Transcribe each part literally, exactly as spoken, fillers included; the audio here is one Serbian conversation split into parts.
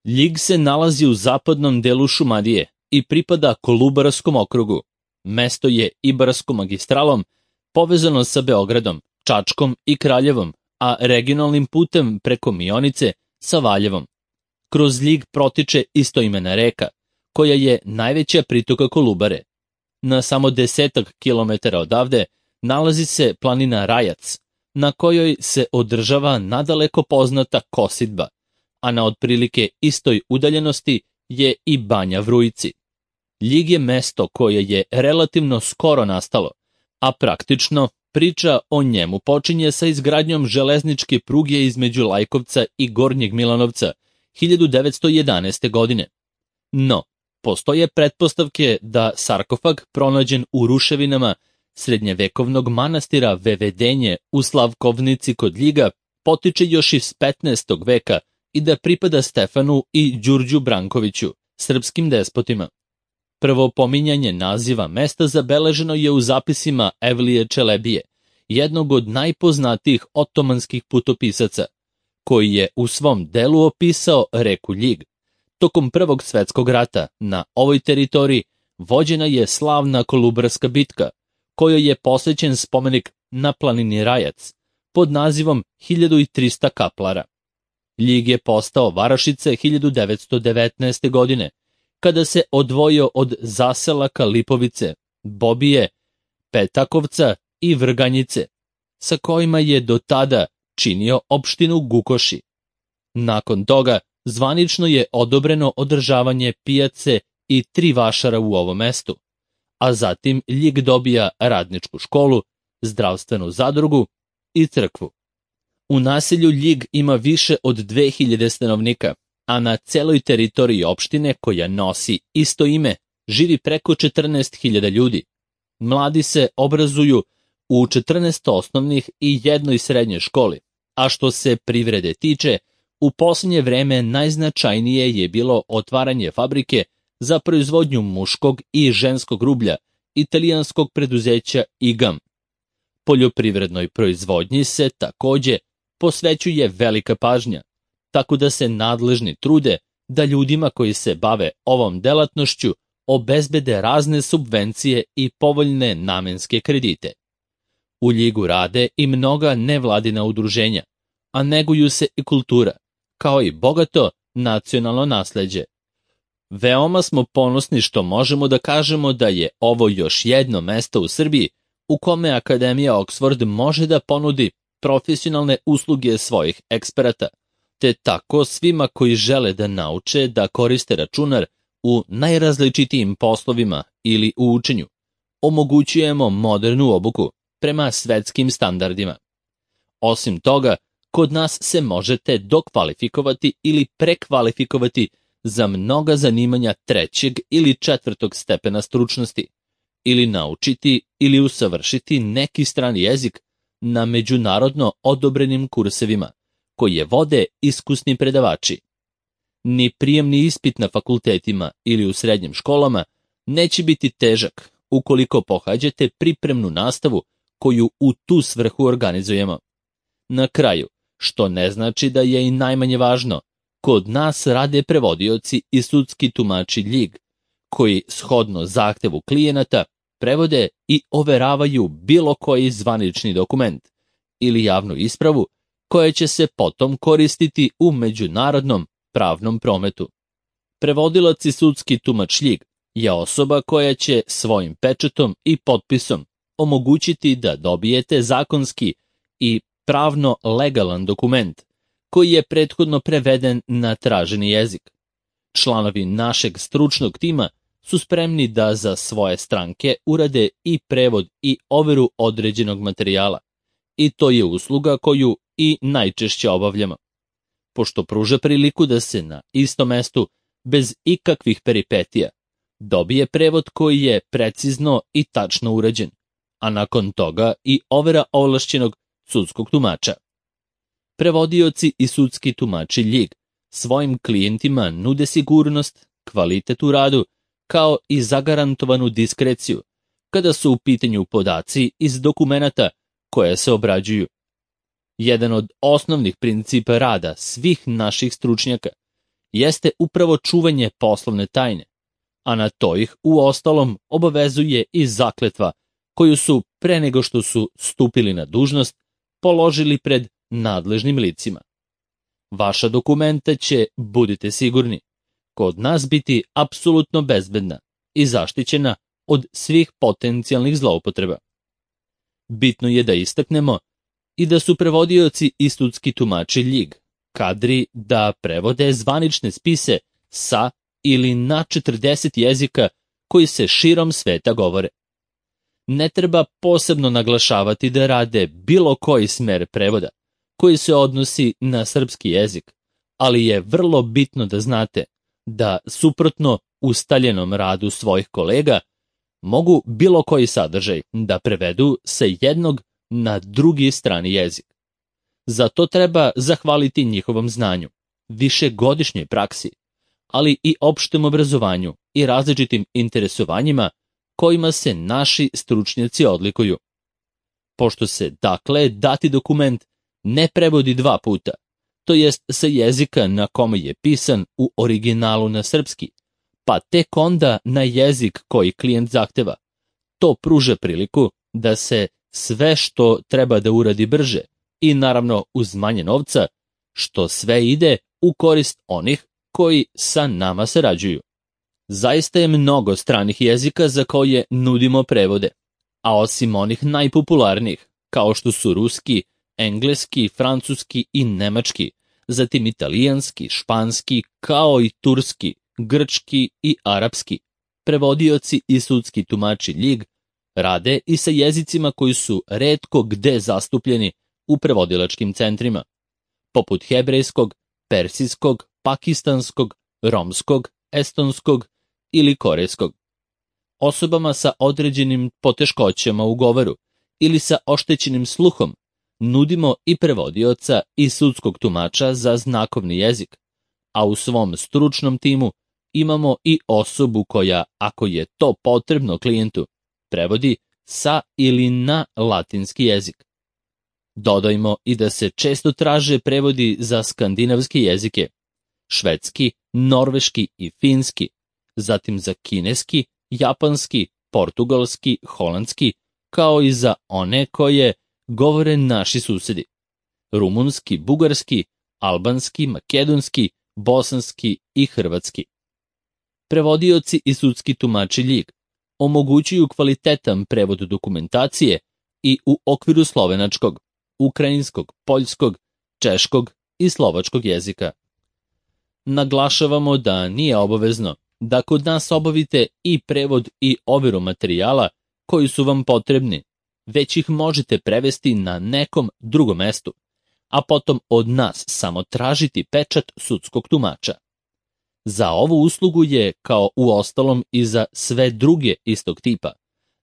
Ljig se nalazi u zapadnom delu Šumadije i pripada Kolubarskom okrugu. Mesto je Ibarskom magistralom povezano sa Beogradom, Čačkom i Kraljevom, a regionalnim putem preko Mionice sa Valjevom. Kroz Ljig protiče istoimena reka, koja je najveća pritoka Kolubare. Na samo desetak kilometara odavde nalazi se planina Rajac, na kojoj se održava nadaleko poznata kosidba, a na otprilike istoj udaljenosti je i Banja Vrujci. Ljig je mesto koje je relativno skoro nastalo, a praktično priča o njemu počinje sa izgradnjom železničke pruge između Lajkovca i Gornjeg Milanovca hiljadu devetsto jedanaeste. godine. No, postoje pretpostavke da sarkofag pronađen u ruševinama srednjevekovnog manastira Vevedenje u Slavkovnici kod Ljiga potiče još iz petnaestog veka i da pripada Stefanu i Đurđu Brankoviću, srpskim despotima. Prvo pominjanje naziva mesta zabeleženo je u zapisima Evlije Čelebije, jednog od najpoznatijih otomanskih putopisaca, koji je u svom delu opisao reku Ljig. Tokom Prvog svetskog rata na ovoj teritoriji vođena je slavna Kolubarska bitka, kojoj je posvećen spomenik na planini Rajac pod nazivom hiljadu trista kaplara. Ljig je postao varošica hiljadu devetsto devetnaeste. godine, kada se odvojio od zaselaka Lipovice, Bobije, Petakovca i Vrganjice, sa kojima je do tada činio opštinu Gukoši. Nakon toga zvanično je odobreno održavanje pijace i tri vašara u ovom mestu, a zatim Ljig dobija radničku školu, zdravstvenu zadrugu i crkvu. U naselju Ljig ima više od dve hiljade stanovnika, a na celoj teritoriji opštine koja nosi isto ime živi preko četrnaest hiljada ljudi. Mladi se obrazuju u četrnaest osnovnih i jednoj srednjoj školi, a što se privrede tiče, u posljednje vreme najznačajnije je bilo otvaranje fabrike za proizvodnju muškog i ženskog rublja italijanskog preduzeća I G A M. Poljoprivrednoj proizvodnji se takođe posvećuje velika pažnja, tako da se nadležni trude da ljudima koji se bave ovom delatnošću obezbede razne subvencije i povoljne namenske kredite. U Ljigu rade i mnoga nevladina udruženja, a neguju se i kultura, kao i bogato nacionalno nasleđe. Veoma smo ponosni što možemo da kažemo da je ovo još jedno mesto u Srbiji u kome Akademija Oxford može da ponudi profesionalne usluge svojih eksperata, te tako svima koji žele da nauče da koriste računar u najrazličitijim poslovima ili u učenju, omogućujemo modernu obuku prema svetskim standardima. Osim toga, kod nas se možete dokvalifikovati ili prekvalifikovati za mnoga zanimanja trećeg ili četvrtog stepena stručnosti, ili naučiti ili usavršiti neki strani jezik na međunarodno odobrenim kursevima, koje vode iskusni predavači. Ni prijemni ispit na fakultetima ili u srednjim školama neće biti težak ukoliko pohađate pripremnu nastavu koju u tu svrhu organizujemo. Na kraju, što ne znači da je i najmanje važno, kod nas rade prevodioci i sudski tumači Ljig, koji shodno zahtevu klijenata prevode i overavaju bilo koji zvanični dokument ili javnu ispravu koja će se potom koristiti u međunarodnom pravnom prometu. Prevodilac i sudski tumač Ljig je osoba koja će svojim pečatom i potpisom omogućiti da dobijete zakonski i pravno legalan dokument koji je prethodno preveden na traženi jezik. Članovi našeg stručnog tima su spremni da za svoje stranke urade i prevod i overu određenog materijala, i to je usluga koju i najčešće obavljamo, pošto pruža priliku da se na istom mestu, bez ikakvih peripetija, dobije prevod koji je precizno i tačno urađen, a nakon toga i overa ovlašćenog sudskog tumača. Prevodioci i sudski tumači Ljig svojim klijentima nude sigurnost, kvalitet u radu, kao i zagarantovanu diskreciju, kada su u pitanju podaci iz dokumenata koje se obrađuju. Jedan od osnovnih principa rada svih naših stručnjaka jeste upravo čuvanje poslovne tajne, a na to ih uostalom obavezuje i zakletva koju su pre nego što su stupili na dužnost položili pred nadležnim licima. Vaša dokumenta će, budite sigurni, kod nas biti apsolutno bezbedna i zaštićena od svih potencijalnih zloupotreba. Bitno je da istaknemo i da su prevodioci i sudski tumači ljig kadri da prevode zvanične spise sa ili na četrdeset jezika koji se širom sveta govore. Ne treba posebno naglašavati da rade bilo koji smer prevoda koji se odnosi na srpski jezik, ali je vrlo bitno da znate da, suprotno ustaljenom radu svojih kolega, mogu bilo koji sadržaj da prevedu sa jednog na drugi strani jezik. Za to treba zahvaliti njihovom znanju, višegodišnjoj praksi, ali i opštem obrazovanju i različitim interesovanjima kojima se naši stručnjaci odlikuju. Pošto se, dakle, dati dokument ne prevodi dva puta, to jest sa jezika na kome je pisan u originalu na srpski, pa tek onda na jezik koji klijent zahteva, to pruža priliku da se sve što treba da uradi brže i naravno uz manje novca, što sve ide u korist onih koji sa nama sarađuju. Zaista je mnogo stranih jezika za koje nudimo prevode, a osim onih najpopularnijih, kao što su ruski, engleski, francuski i nemački, zatim italijanski, španski, kao i turski, grčki i arapski, prevodioci i sudski tumači ljig rade i sa jezicima koji su retko gde zastupljeni u prevodilačkim centrima, poput hebrejskog, persijskog, pakistanskog, romskog, estonskog ili korejskog. Osobama sa određenim poteškoćama u govoru ili sa oštećenim sluhom nudimo i prevodioca i sudskog tumača za znakovni jezik, a u svom stručnom timu imamo i osobu koja, ako je to potrebno klijentu, prevodi sa ili na latinski jezik. Dodajmo i da se često traže prevodi za skandinavske jezike, švedski, norveški i finski, zatim za kineski, japanski, portugalski, holandski, kao i za one koje govore naši susedi, rumunski, bugarski, albanski, makedonski, bosanski i hrvatski. Prevodioci i sudski tumači ljig omogućuju kvalitetan prevod dokumentacije i u okviru slovenačkog, ukrajinskog, poljskog, češkog i slovačkog jezika. Naglašavamo da nije obavezno da kod nas obavite i prevod i overu materijala koji su vam potrebni, već ih možete prevesti na nekom drugom mestu, a potom od nas samo tražiti pečat sudskog tumača. Za ovu uslugu je, kao u ostalom i za sve druge istog tipa,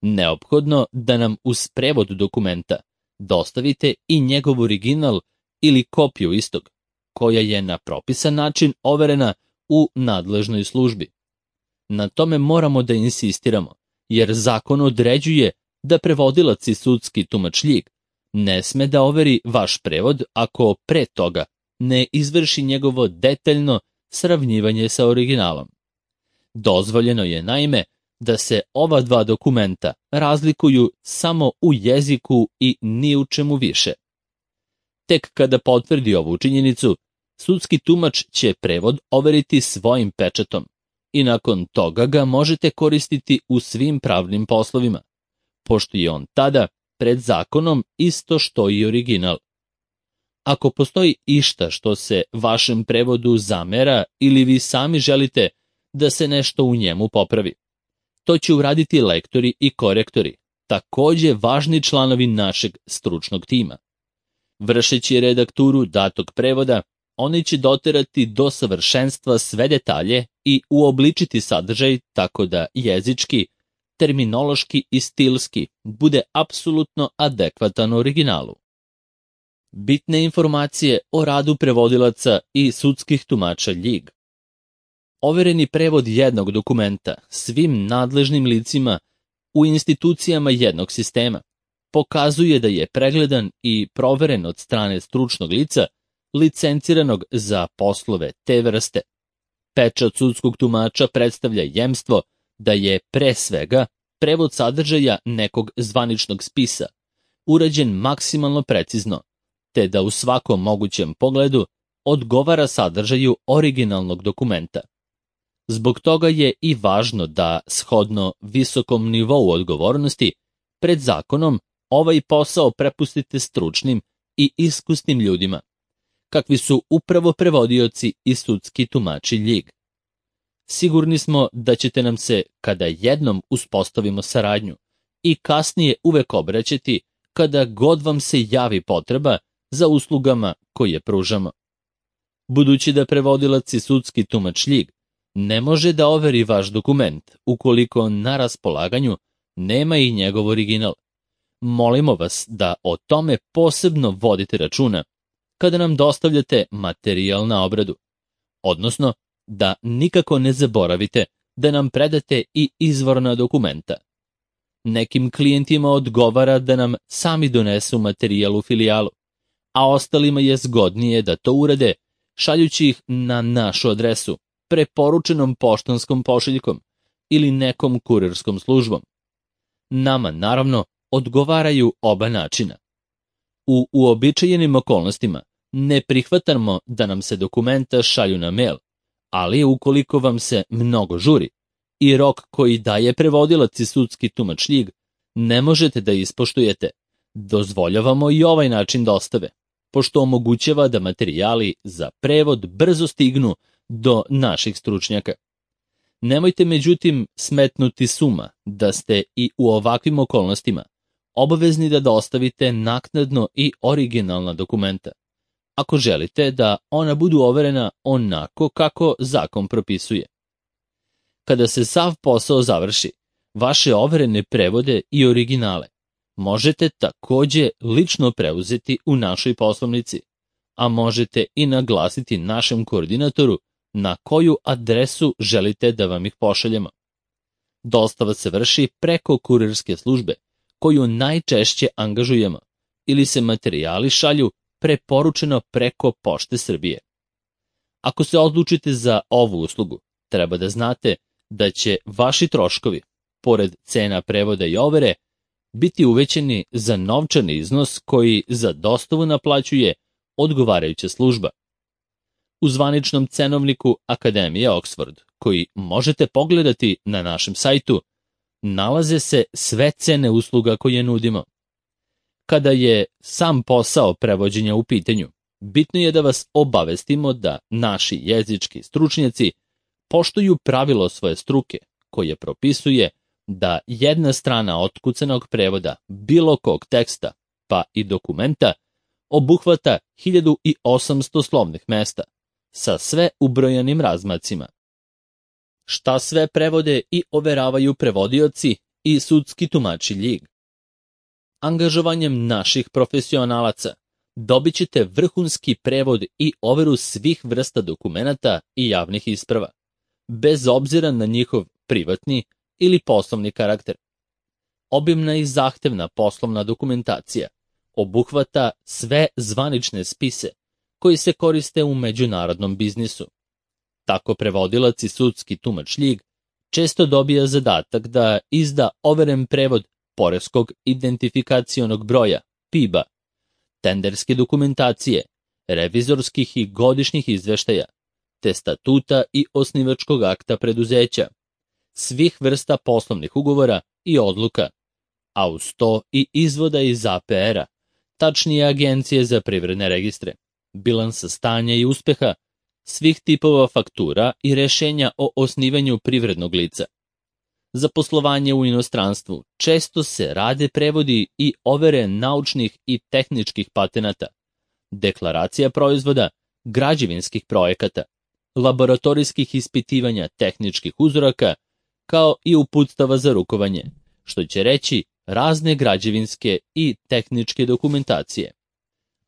neophodno da nam uz prevod dokumenta dostavite i njegov original ili kopiju istog, koja je na propisan način overena u nadležnoj službi. Na tome moramo da insistiramo, jer zakon određuje da prevodilac i sudski tumač ljig ne sme da overi vaš prevod ako pre toga ne izvrši njegovo detaljno sravnjivanje sa originalom. Dozvoljeno je, naime, da se ova dva dokumenta razlikuju samo u jeziku i ni u čemu više. Tek kada potvrdi ovu činjenicu, sudski tumač će prevod overiti svojim pečatom i nakon toga ga možete koristiti u svim pravnim poslovima, pošto je on tada pred zakonom isto što i original. Ako postoji išta što se vašem prevodu zamera ili vi sami želite da se nešto u njemu popravi, to će uraditi lektori i korektori, takođe važni članovi našeg stručnog tima. Vršeći redakturu datog prevoda, oni će doterati do savršenstva sve detalje i uobličiti sadržaj tako da jezički, terminološki i stilski bude apsolutno adekvatan originalu. Bitne informacije o radu prevodilaca i sudskih tumača ljig. Overeni prevod jednog dokumenta svim nadležnim licima u institucijama jednog sistema pokazuje da je pregledan i proveren od strane stručnog lica licenciranog za poslove te vrste, Pečat sudskog tumača predstavlja jemstvo da je pre svega prevod sadržaja nekog zvaničnog spisa, urađen maksimalno precizno, te da u svakom mogućem pogledu odgovara sadržaju originalnog dokumenta. Zbog toga je i važno da, shodno visokom nivou odgovornosti, pred zakonom ovaj posao prepustite stručnim i iskusnim ljudima, kakvi su upravo prevodioci i sudski tumači Ljig. Sigurni smo da ćete nam se, kada jednom uspostavimo saradnju, i kasnije uvek obraćati kada god vam se javi potreba za uslugama koje pružamo. Budući da prevodilac i sudski tumač Ljig ne može da overi vaš dokument ukoliko na raspolaganju nema i njegov original, molimo vas da o tome posebno vodite računa kada nam dostavljate materijal na obradu, odnosno da nikako ne zaboravite da nam predate i izvorna dokumenta. Nekim klijentima odgovara da nam sami donesu materijal u filijalu, a ostalima je zgodnije da to urade šaljući ih na našu adresu, preporučenom poštanskom pošiljkom ili nekom kurirskom službom. Nama, naravno, odgovaraju oba načina. U uobičajenim okolnostima ne prihvatamo da nam se dokumenta šalju na mail, ali ukoliko vam se mnogo žuri i rok koji daje prevodilac i sudski tumač Ljig ne možete da ispoštujete, dozvoljavamo i ovaj način dostave, pošto omogućava da materijali za prevod brzo stignu do naših stručnjaka. Nemojte međutim smetnuti suma da ste i u ovakvim okolnostima obavezni da dostavite naknadno i originalna dokumenta, ako želite da ona budu overena onako kako zakon propisuje. Kada se sav posao završi, vaše overene prevode i originale možete takođe lično preuzeti u našoj poslovnici, a možete i naglasiti našem koordinatoru na koju adresu želite da vam ih pošaljemo. Dostava se vrši preko kurirske službe, koju najčešće angažujemo, ili se materijali šalju preporučeno preko Pošte Srbije. Ako se odlučite za ovu uslugu, treba da znate da će vaši troškovi, pored cena prevoda i overe, biti uvećeni za novčani iznos koji za dostavu naplaćuje odgovarajuća služba. U zvaničnom cenovniku Akademije Oxford, koji možete pogledati na našem sajtu, nalaze se sve cene usluga koje nudimo. Kada je sam posao prevođenja u pitanju, bitno je da vas obavestimo da naši jezički stručnjaci poštuju pravilo svoje struke, koje propisuje da jedna strana otkucanog prevoda bilo kog teksta, pa i dokumenta, obuhvata hiljadu osamsto slovnih mesta, sa sve ubrojanim razmacima. Šta sve prevode i overavaju prevodioci i sudski tumači Ljig? Angažovanjem naših profesionalaca dobit ćete vrhunski prevod i overu svih vrsta dokumenata i javnih isprava, bez obzira na njihov privatni ili poslovni karakter. Obimna i zahtevna poslovna dokumentacija obuhvata sve zvanične spise koji se koriste u međunarodnom biznisu. Tako prevodilac i sudski tumač Ljig često dobija zadatak da izda overen prevod poreskog identifikacionog broja, P I B-a, tenderske dokumentacije, revizorskih i godišnjih izveštaja, te statuta i osnivačkog akta preduzeća, svih vrsta poslovnih ugovora i odluka, a uz to i izvoda iz A P R-a, tačnije Agencije za privredne registre, bilansa stanja i uspeha, svih tipova faktura i rešenja o osnivanju privrednog lica. Za poslovanje u inostranstvu često se rade prevodi i overe naučnih i tehničkih patenata, deklaracija proizvoda, građevinskih projekata, laboratorijskih ispitivanja tehničkih uzoraka, kao i uputstava za rukovanje, što će reći razne građevinske i tehničke dokumentacije.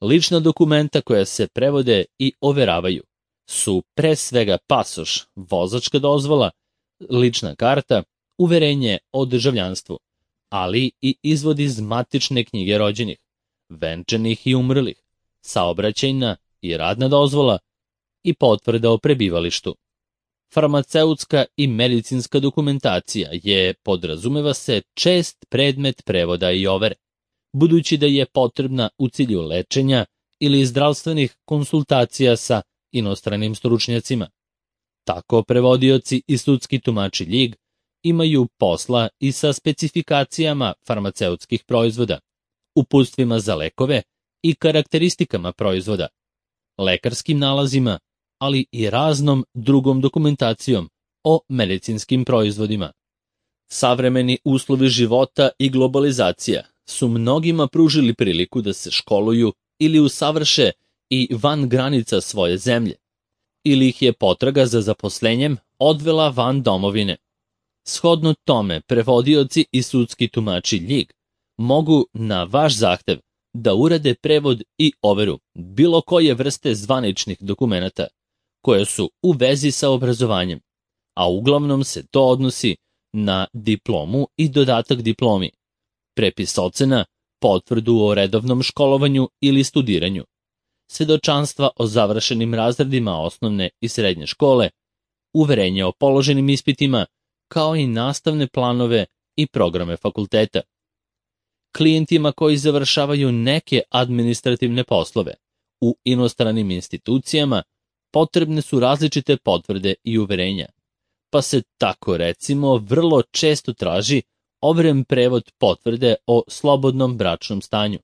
Lična dokumenta koja se prevode i overavaju su pre svega pasoš, vozačka dozvola, lična karta, uverenje o državljanstvu, ali i izvod iz matične knjige rođenih, venčanih i umrlih, saobraćajna i radna dozvola i potvrda o prebivalištu. Farmaceutska i medicinska dokumentacija je, podrazumeva se, čest predmet prevoda i overe, budući da je potrebna u cilju lečenja ili zdravstvenih konsultacija sa inostranim stručnjacima. Tako prevodioci i sudski tumači ljig imaju posla i sa specifikacijama farmaceutskih proizvoda, uputstvima za lekove i karakteristikama proizvoda, lekarskim nalazima, ali i raznom drugom dokumentacijom o medicinskim proizvodima. Savremeni uslovi života i globalizacija su mnogima pružili priliku da se školuju ili usavrše i van granica svoje zemlje, ili ih je potraga za zaposlenjem odvela van domovine. Shodno tome, prevodioci i sudski tumači ljig mogu na vaš zahtev da urade prevod i overu bilo koje vrste zvaničnih dokumenata koje su u vezi sa obrazovanjem, a uglavnom se to odnosi na diplomu i dodatak diplomi, prepis ocena, potvrdu o redovnom školovanju ili studiranju, svedočanstva o završenim razredima osnovne i srednje škole, uverenje o položenim ispitima, kao i nastavne planove i programe fakulteta. Klijentima koji završavaju neke administrativne poslove u inostranim institucijama potrebne su različite potvrde i uverenja, pa se tako recimo vrlo često traži overen prevod potvrde o slobodnom bračnom stanju,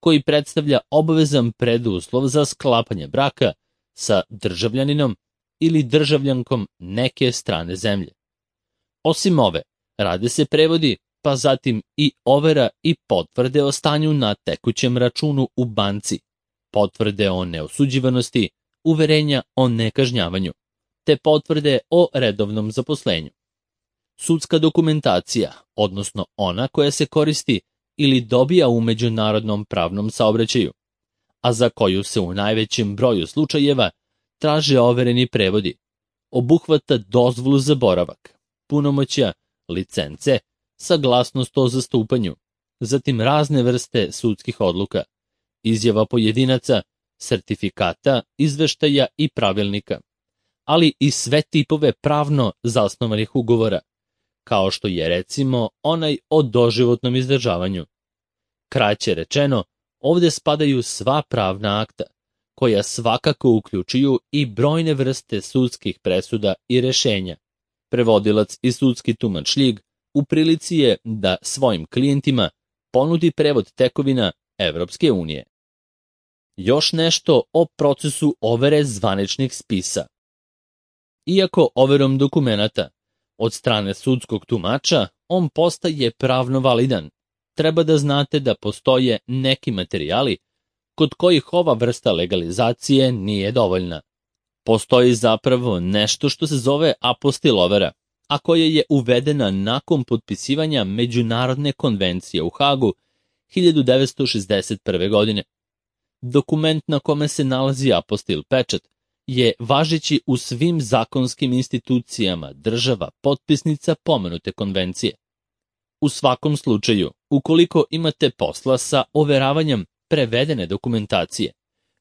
koji predstavlja obavezan preduslov za sklapanje braka sa državljaninom ili državljankom neke strane zemlje. Osim ove, rade se prevodi, pa zatim i overa i potvrde o stanju na tekućem računu u banci, potvrde o neosuđivanosti, uverenja o nekažnjavanju, te potvrde o redovnom zaposlenju. Sudska dokumentacija, odnosno ona koja se koristi ili dobija u međunarodnom pravnom saobraćaju, a za koju se u najvećem broju slučajeva traže overeni prevodi, obuhvata dozvolu za boravak, punomoćja, licence, saglasnost o zastupanju, zatim razne vrste sudskih odluka, izjava pojedinaca, sertifikata, izveštaja i pravilnika, ali i sve tipove pravno zasnovanih ugovora, kao što je recimo onaj o doživotnom izdržavanju. Kraće rečeno, ovde spadaju sva pravna akta, koja svakako uključuju i brojne vrste sudskih presuda i rešenja. Prevodilac i sudski tumač ljig u prilici je da svojim klijentima ponudi prevod tekovina Evropske unije. Još nešto o procesu overe zvaničnih spisa. Iako overom dokumenata od strane sudskog tumača on postaje pravno validan, treba da znate da postoje neki materijali kod kojih ova vrsta legalizacije nije dovoljna. Postoji zapravo nešto što se zove apostil overa, a koja je uvedena nakon potpisivanja Međunarodne konvencije u Hagu hiljadu devetsto šezdeset prve. godine. Dokument na kome se nalazi apostil pečat je važeći u svim zakonskim institucijama država potpisnica pomenute konvencije. U svakom slučaju, ukoliko imate posla sa overavanjem prevedene dokumentacije,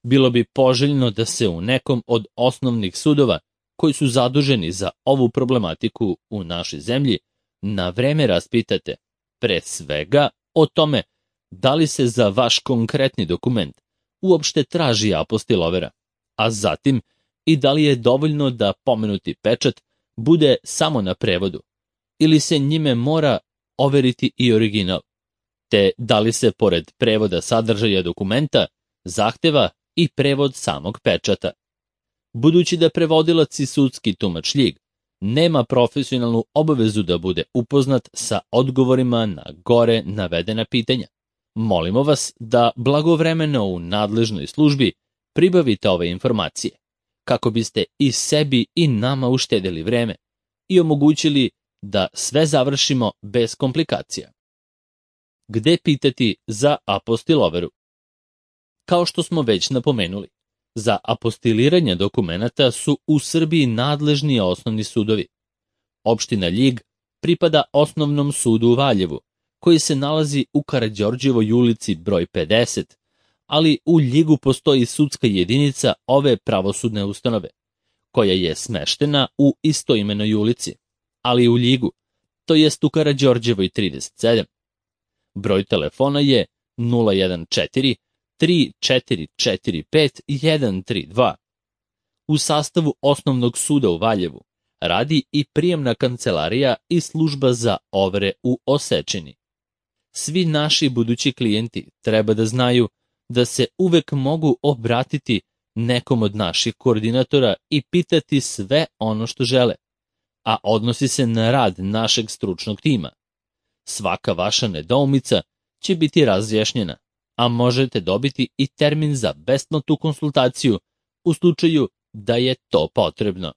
bilo bi poželjno da se u nekom od osnovnih sudova koji su zaduženi za ovu problematiku u našoj zemlji na vreme raspitate, pre svega o tome da li se za vaš konkretni dokument uopšte traži apostil overa, a zatim i da li je dovoljno da pomenuti pečat bude samo na prevodu, ili se njime mora overiti i original, te da li se pored prevoda sadržaja dokumenta zahteva i prevod samog pečata. Budući da prevodilac i sudski tumač ljig nema profesionalnu obavezu da bude upoznat sa odgovorima na gore navedena pitanja, molimo vas da blagovremeno u nadležnoj službi pribavite ove informacije, kako biste i sebi i nama uštedeli vreme i omogućili da sve završimo bez komplikacija. Gde pitati za apostil overu? Kao što smo već napomenuli, za apostiliranje dokumenata su u Srbiji nadležni osnovni sudovi. Opština Ljig pripada Osnovnom sudu u Valjevu, koji se nalazi u Karađorđevoj ulici broj pedeset, ali u Ljigu postoji sudska jedinica ove pravosudne ustanove, koja je smeštena u istoimenoj ulici, ali u Ljigu, to jest u Karađorđevoj trideset sedam. Broj telefona je nula jedan četiri tri četiri četiri pet jedan tri dva. U sastavu Osnovnog suda u Valjevu radi i prijemna kancelarija i služba za overe u Osečini. Svi naši budući klijenti treba da znaju da se uvek mogu obratiti nekom od naših koordinatora i pitati sve ono što žele, a odnosi se na rad našeg stručnog tima. Svaka vaša nedoumica će biti razjašnjena, a možete dobiti i termin za besplatnu konsultaciju u slučaju da je to potrebno.